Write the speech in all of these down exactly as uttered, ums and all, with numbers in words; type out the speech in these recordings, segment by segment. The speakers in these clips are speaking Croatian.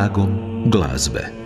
Tragom glazbe.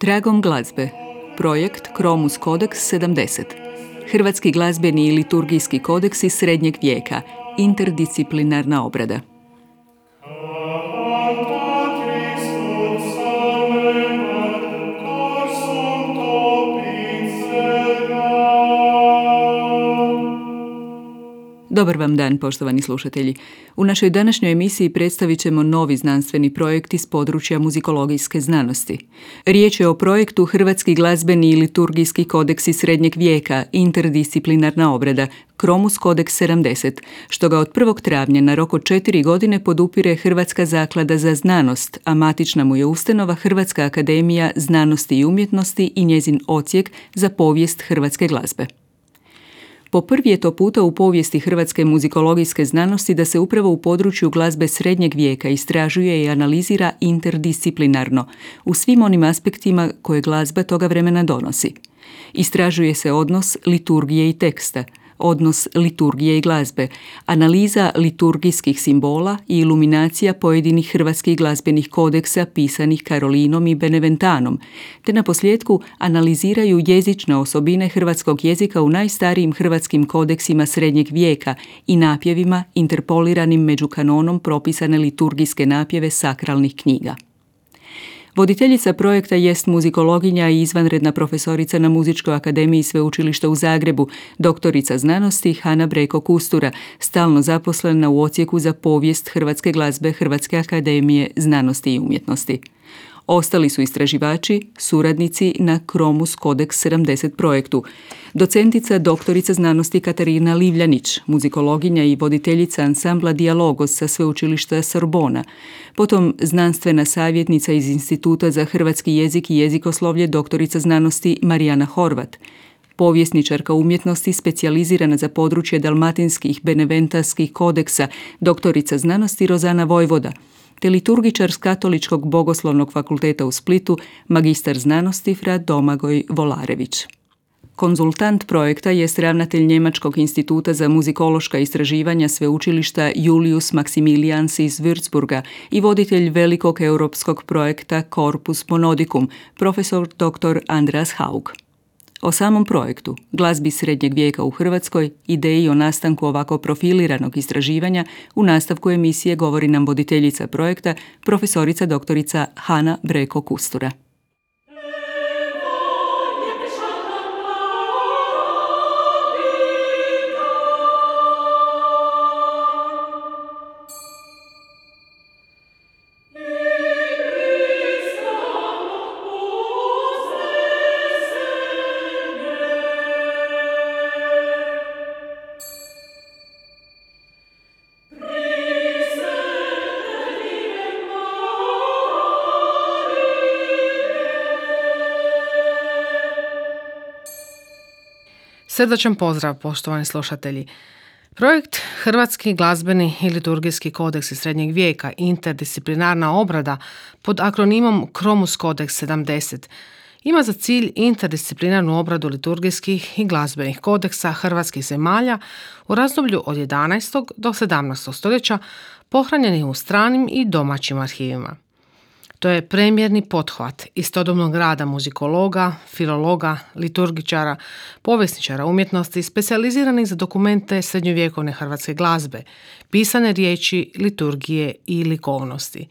Tragom glazbe. Projekt Kromus Kodeks sedamdeset. Hrvatski glazbeni i liturgijski kodeksi srednjeg vijeka. Interdisciplinarna obrada. Dobar vam dan, poštovani slušatelji. U našoj današnjoj emisiji predstavit ćemo novi znanstveni projekt iz područja muzikologijske znanosti. Riječ je o projektu Hrvatski glazbeni i liturgijski kodeksi srednjeg vijeka, interdisciplinarna obrada, Kromus Kodeks sedamdeset, što ga od prvog travnja na rok od četiri godine podupire Hrvatska zaklada za znanost, a matična mu je ustanova Hrvatska akademija znanosti i umjetnosti i njezin odsjek za povijest hrvatske glazbe. Po prvi je to puta u povijesti hrvatske muzikologijske znanosti da se upravo u području glazbe srednjeg vijeka istražuje i analizira interdisciplinarno u svim onim aspektima koje glazba toga vremena donosi. Istražuje se odnos liturgije i teksta, odnos liturgije i glazbe, analiza liturgijskih simbola i iluminacija pojedinih hrvatskih glazbenih kodeksa pisanih Karolinom i Beneventanom, te na posljetku analiziraju jezične osobine hrvatskog jezika u najstarijim hrvatskim kodeksima srednjeg vijeka i napjevima interpoliranim među kanonom propisane liturgijske napjeve sakralnih knjiga. Voditeljica projekta jest muzikologinja i izvanredna profesorica na Muzičkoj akademiji Sveučilišta u Zagrebu, doktorica znanosti Hana Breko Kustura, stalno zaposlena u odsjeku za povijest hrvatske glazbe Hrvatske akademije znanosti i umjetnosti. Ostali su istraživači, suradnici na Kromus Kodeks sedamdeset projektu. Docentica doktorica znanosti Katarina Livljanić, muzikologinja i voditeljica ansambla Dijalogos sa Sveučilišta Sorbona. Potom znanstvena savjetnica iz Instituta za hrvatski jezik i jezikoslovlje doktorica znanosti Marijana Horvat. Povjesničarka umjetnosti specijalizirana za područje dalmatinskih beneventarskih kodeksa doktorica znanosti Rozana Vojvoda, te liturgičar s Katoličkog bogoslovnog fakulteta u Splitu, magistar znanosti fra Domagoj Volarević. Konzultant projekta jest ravnatelj Njemačkog instituta za muzikološka istraživanja sveučilišta Julius Maximilians iz Würzburga i voditelj velikog europskog projekta Corpus Monodicum, profesor doktor Andreas Haug. O samom projektu, glazbi srednjeg vijeka u Hrvatskoj, ideji o nastanku ovako profiliranog istraživanja, u nastavku emisije govori nam voditeljica projekta, profesorica doktorica Hana Breko Kustura. Praise Srdačan pozdrav, poštovani slušatelji. Projekt Hrvatski glazbeni i liturgijski kodeksi srednjeg vijeka, interdisciplinarna obrada pod akronimom Kromus Kodeks sedamdeset ima za cilj interdisciplinarnu obradu liturgijskih i glazbenih kodeksa hrvatskih zemalja u razdoblju od jedanaestog do sedamnaestog stoljeća pohranjenih u stranim i domaćim arhivima. To je premjerni pothvat istodobnog rada muzikologa, filologa, liturgičara, povjesničara umjetnosti specijaliziranih za dokumente srednjovjekovne hrvatske glazbe, pisane riječi, liturgije i likovnosti.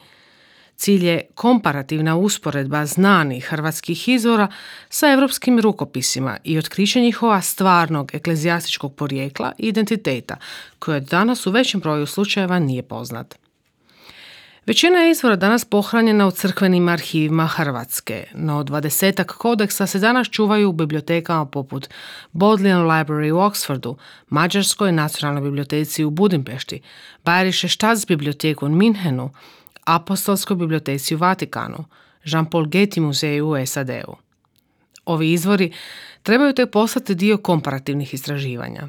Cilj je komparativna usporedba znanih hrvatskih izvora sa europskim rukopisima i otkriće njihova stvarnog eklezijastičkog porijekla i identiteta, koje danas u većem broju slučajeva nije poznat. Većina je izvora danas pohranjena u crkvenim arhivima Hrvatske, no dvadesetak kodeksa se danas čuvaju u bibliotekama poput Bodleian Library u Oxfordu, Mađarskoj nacionalnoj biblioteci u Budimpešti, Bayerische Staatsbibliothek u Minhenu, Apostolskoj biblioteci u Vatikanu, Jean-Paul Getty muzeju u S A D-u. Ovi izvori trebaju tek postati dio komparativnih istraživanja.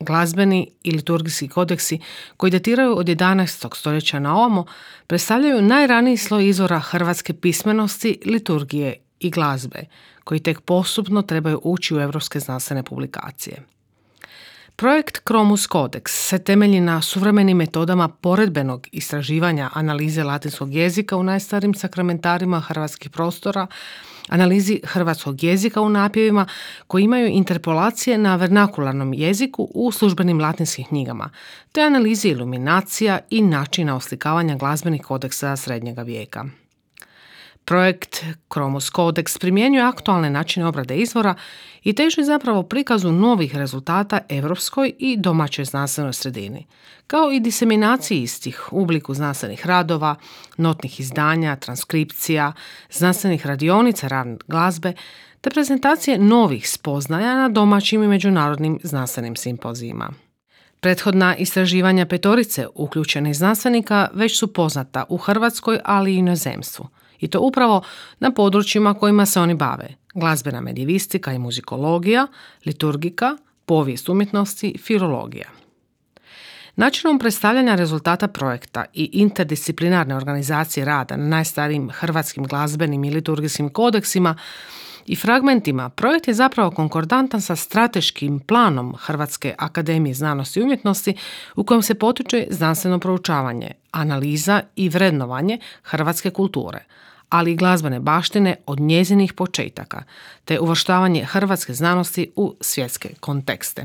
Glazbeni i liturgijski kodeksi koji datiraju od jedanaestog stoljeća na ovamo predstavljaju najraniji sloj izvora hrvatske pismenosti, liturgije i glazbe, koji tek postupno trebaju ući u europske znanstvene publikacije. Projekt Kromus Kodeks se temelji na suvremenim metodama poredbenog istraživanja analize latinskog jezika u najstarijim sakramentarima hrvatskih prostora, analizi hrvatskog jezika u napjevima koji imaju interpolacije na vernakularnom jeziku u službenim latinskim knjigama, te analizi iluminacija i načina oslikavanja glazbenih kodeksa srednjega vijeka. Projekt Kromus Kodeks primjenjuje aktualne načine obrade izvora i teži zapravo prikazu novih rezultata europskoj i domaćoj znanstvenoj sredini, kao i diseminaciji istih u obliku znanstvenih radova, notnih izdanja, transkripcija, znanstvenih radionica radne glazbe, te prezentacije novih spoznaja na domaćim i međunarodnim znanstvenim simpozijima. Prethodna istraživanja petorice uključenih znanstvenika već su poznata u Hrvatskoj, ali i inozemstvu. I to upravo na područjima kojima se oni bave: glazbena medijevistika i muzikologija, liturgika, povijest umjetnosti, filologija. Načinom predstavljanja rezultata projekta i interdisciplinarne organizacije rada na najstarijim hrvatskim glazbenim i liturgijskim kodeksima i fragmentima, projekt je zapravo konkordantan sa strateškim planom Hrvatske akademije znanosti i umjetnosti u kojem se potiče znanstveno proučavanje, analiza i vrednovanje hrvatske kulture, ali i glazbene baštine od njezinih početaka, te uvrštavanje hrvatske znanosti u svjetske kontekste.